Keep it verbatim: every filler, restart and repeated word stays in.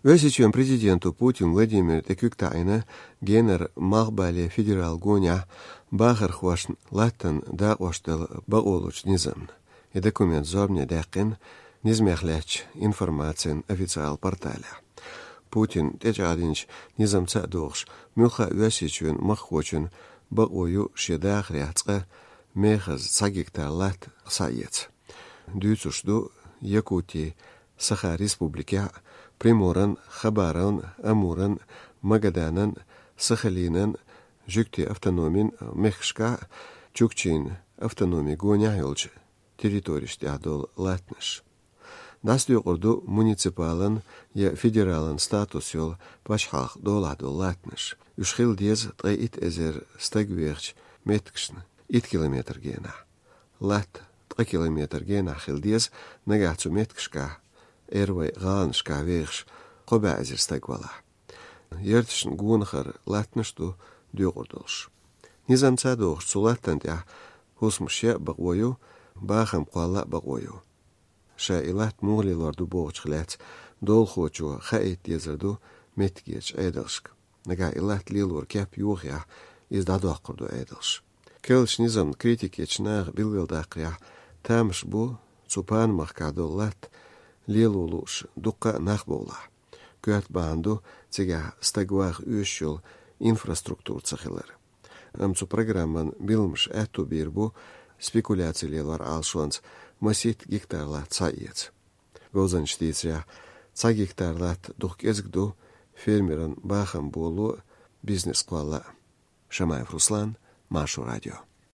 Оьрсийчоьнан президента Путин Владимира тӀе куьг таӀийна генара малхбален федералан гонехь бахархошна латтана дакъош дала бакъо лучу низамна. И документ зорбане даьккхина низамех лаьттачу информацин официалан порталехь. Путина тӀечӀагӀдинчу низамца а догӀуш, муьлхха а Оьрсийчоьнан махкахочун бакъо ю шен дахарехь цкъа мехаза цхьа гектар латта схьаэца. Дуьйцуш ду Якутин Саха республикехь а, Приморан, Хабаровн, Амуран, Магаданан, Сахалинан, Жуьгтийн автономин мехкашкахь а, Чукчийн автономин гонехь йолчу территорешна тӀехь долу латтанаш. ДӀасадоькъур ду муниципалан я федералан статус йолу пачхьалкхан долахь долу латтанаш. Уьш хила деза ткъе итт эзар стаг вехачу меттигашна итт километр генахь. Латта ткъа километр генахь хила деза нагахь цу меттигашкахь, эрвай гӀаланашкахь вехаш, кхо бӀе эзар стаг валахь. Ярташна гонахара латтанаш ду доькъур долуш. Низамца а догӀуш, цу латтана тӀехь хӀусамаш ян бакъо ю, бахам кхолла а бакъо ю. Ша и латта муха лелор ду бохучух лаьцна долахочо хаийта дезар ду меттигерчу Ӏедалшка. Нагахь и латта лелоран кеп йохаяхь, иза дӀадоккхур ду Ӏедалша. Керлачу низамна критика ечу наха билгалдаккхарехь, тамаш бу цу панамахкахь долу латта лело лууш дуккха а нах бовлахь. Коьрта бахьана ду цигахь стаг ваха оьшуш йолу инфраструктура ца хилар. Амма цу программан билламаш аьтту бийр бу спекуляци лелор Ӏалашонца масийтта гектар латта схьаэца. Говзанчаша дийцарехь, цхьа гектар латта дукха кӀезиг ду фермеран бахам боло а, бизнес кхолла а. Шамаев Руслан, Маршо радио.